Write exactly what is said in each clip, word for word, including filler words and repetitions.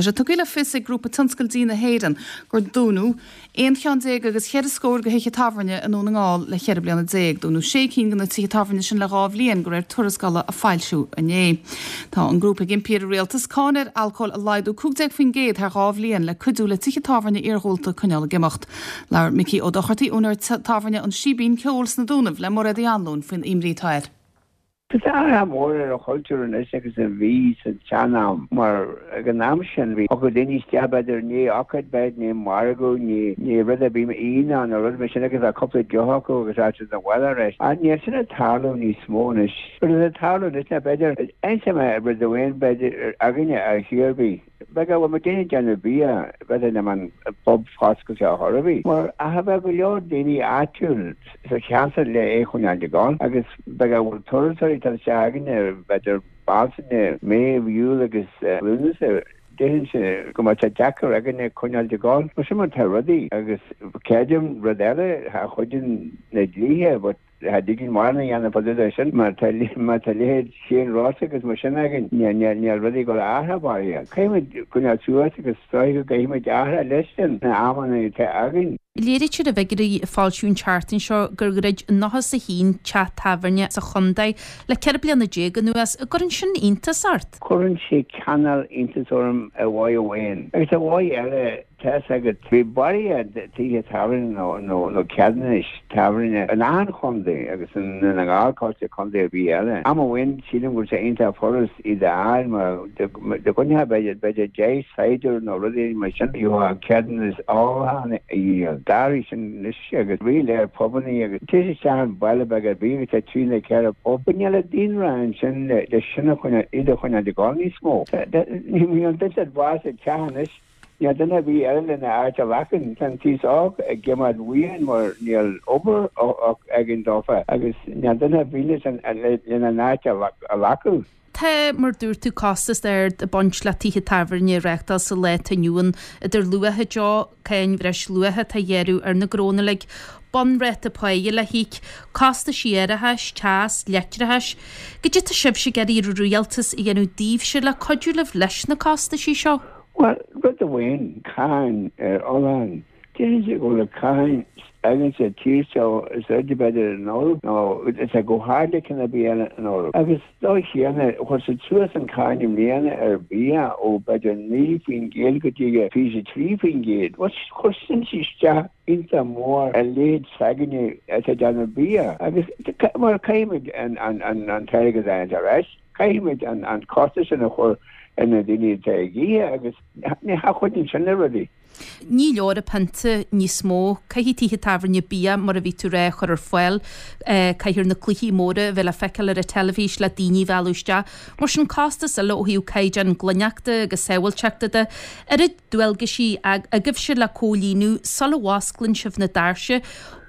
Sé tugtha le fios ag grúpa tionscal dí na hÉireann gur dúnadh aon cheann déag agus cheithre scór de thithe tábhairne i nDún na nGall le ceithre bliana déag. Dúnadh sé cinn de na tithe tábhairne sin le dhá bhliain de réir tuarascála a foilsíodh inné. Tá an grúpa ag impí ar an rialtas cáin ar alcól a laghdú cúig déag faoin gcéad thar dhá bhliain le cuidiú le tithe tábhairne iargúlta coinneáil ag imeacht. Labhair Micí Ó Dochartaí úinéir tábhairne an Síbín Ceoil sna Dúnaibh le Mairéad Uí Anluain faoin imní atá air. Tá athrú mór ar an chultúr anois agus a bhí sa tsean-am mar ag an am sin bhí thiocfadh daoine isteach b'fhéidir ní ócáid b'fhéidir ní margadh ní ní rud ar bith aoine nó rud mar sin agus bheadh cúpla deoch acu agus rachadh siad abhaile arís. Ach níl sin ag tarlú níos mó anois. Rud atá ag tarlú anois ná b'fhéidir inseoidh mé rud amháin b'fhéidir againne ar chor ar bith. B'fhéidir go bhfuil muid ag déanamh bia b'fhéidir nach mbeadh an pub foscailte ar chor ar bith. Mar ach bheadh go leor daoine áitiúil sa cheantar le é a choinneáil ag gabháil agus b'fhéidir go bhfuil turasóirí tar isteach againne b'fhéidir Bealtaine, Meitheamh, Iúil agus Lúnasa déarfainnse go mbeadh sé deacair againne coinneáil ag gabháil. Mar sin mar tá rudaí agus creidim rud eile cha chuidíonn na dlíthe but Cha dtig linn mórán a dhéanamh fá dtaobh de sin mar tá má tá leithéid Shane Ross agus mar sin againn níl níl níl rudaí ag dul a athrú faraor. Caithfimid coinneáil suas agus is dóigh go gcaithfimid athrú leis sin na amanna atá againn. Léirítear i bhfigiúirí a foilsíodh an tseachtain seo gur dhruid nócha is a haon teach tábhairne sa chontae le ceithre bliana déag anuas. An gcuireann sin iontas ort? Cuireann sé cineál iontas orm ar mhodh amháin agus ar mhodh eile Tá's agat, bhí barraíocht tithe tábhairne nó ceadúnais tábhairne in achan chontae agus i nDún na nGall cosúil le contae ar bith eile. Am amháin sílim go raibh sé iontach furast iad a fháil mar dá gcoinneofá b'fhéidir b'fhéidir deich saighdiúir nó rudaí mar sin gheofá ceadúnas ólacháin a dhíol. D'athraigh sin anois agus ríléir pubannaí agus téigh isteach i mbaile beag ar bith agus tá trí nó ceithre pub. But níl an daonra ansin le sin a choinneáil iad a choinneáil ag gabháil níos mó. Níl an duine at bás ag teach anois. Níl duine ar bith eile lena áit a ghlacadh. Tá an t-aos óg ag imeacht uainn mar níl obair againn dófa agus níl duine ar bith lena n-áit a ghlacadh. Tá, mar dúirt tú, costas ard ag baint le tithe tábhairne a reáchtáil sa lá atá inniu ann, idir luach an deoch, cáin bhreisluacha atá á ghearradh ar na gnónna uilig, bunráta páighe le híoc, costaisí árachais, teas, leictreachais. Goidé tá sibhse ag iarraidh ar an rialtas a dhéanamh daoibhse le cuidiú libh leis na costaisí seo? Bhuel, rud amháin, cáin ar ólachán. Déarfainnse go bhfuil an cáin againn sa tír seo is airde b'fhéidir in Eoraip nó is é chomh hard le ceann ar bith eile in Eoraip. Agus dóigh chéanna, chuir siad suas an cáin i mbliana ar bhia ó b'fhéidir naoi faoin gcéad go dtí fiche trí faoin gcéad. Bhuel, chuir sin isteach iontach mór ar leithéid s'againne atá ag déanamh bia agus mar caithfimid an t-airgead a fháil ar ais. Caithfimid an costas sin a chur ar na daoine atá ag ithe agus ní chuidíonn sin le rudaí. Ní leor an pionta níos mó. Caithfidh tithe tábhairne bia, mar a bhí tú ag rá, a chur ar fáil. Caithfear na cluichí móra a bheith le feiceáil ar an teilifís le daoine a mhealladh isteach. Mar sin, costas eile ó thaobh caighdeán glaineachta agus sábháilteachta de. Oiread dualgaisí agaibhse le comhlíonadh sula bhfosclaíonn sibh na doirse.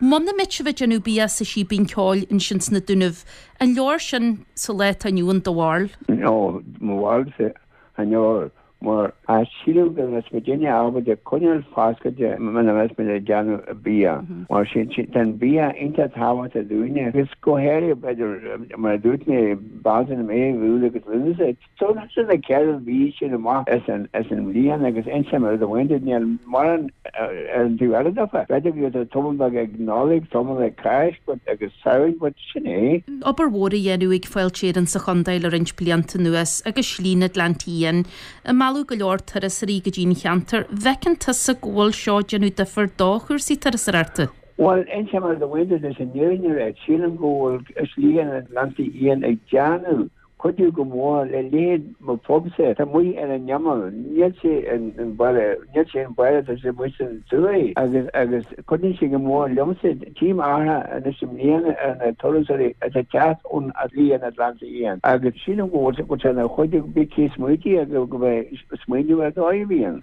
Muna mbeidh sibh ag déanamh bia sa Síbín Ceoil ansin sna Dúnaibh, An leor sin sa lá atá inniu ann do bharúil? Ó, mo bharúilsa, chan leor, mar sílim go mbeadh muidinne ábalta coinneáil foscailte muna mbeadh muid ag déanamh bia. Mar sin, tá an bia iontach tábhachtach dúinne agus go háirithe, b'fhéidir, mar a dúirt mé, Bealtaine, Meitheamh, Iúil agus Lúnasa. So sin na ceithre mhí sin amach as an mbliain agus inseoidh mé rud amháin duit, níl mórán ar an taobh eile daofa. B'fhéidir go bhfuil tamall beag ag Nollaig, tamall ag Cáisc but agus Samhain but sin é. Obair mhór á dhéanamh ag Fáilte Éireann sa chontae le roinnt blianta anuas agus Slí na nGleannta Fhiáin ag mealladh go leor turasóirí go dtí an cheantar. Bhfeiceann tusa go bhfuil seo ag déanamh difear do chúrsaí turasóireachta? Bhuel, inseoidh mé rud amháin duit leis an fhírinne, sílim go bhfuil Slí na nGleannta Fhiáin ag déanamh cuidiú go mór le leithéid mo phubsa. Tá amuigh ar an imeall, níl sé in baile, níl sé in baile, tá sé amuigh san tuaith agus agus cuidíonn sé go mór liomsa. Tchím athrú anois i mbliana ar na turasóirí atá ag teacht ón Shlí na nGleannta Fhiáin agus sílim go bhfuil sé ina chuidiú, bí cé smaoití go mbeidh smaoineamh ar dóigh a bhíonn.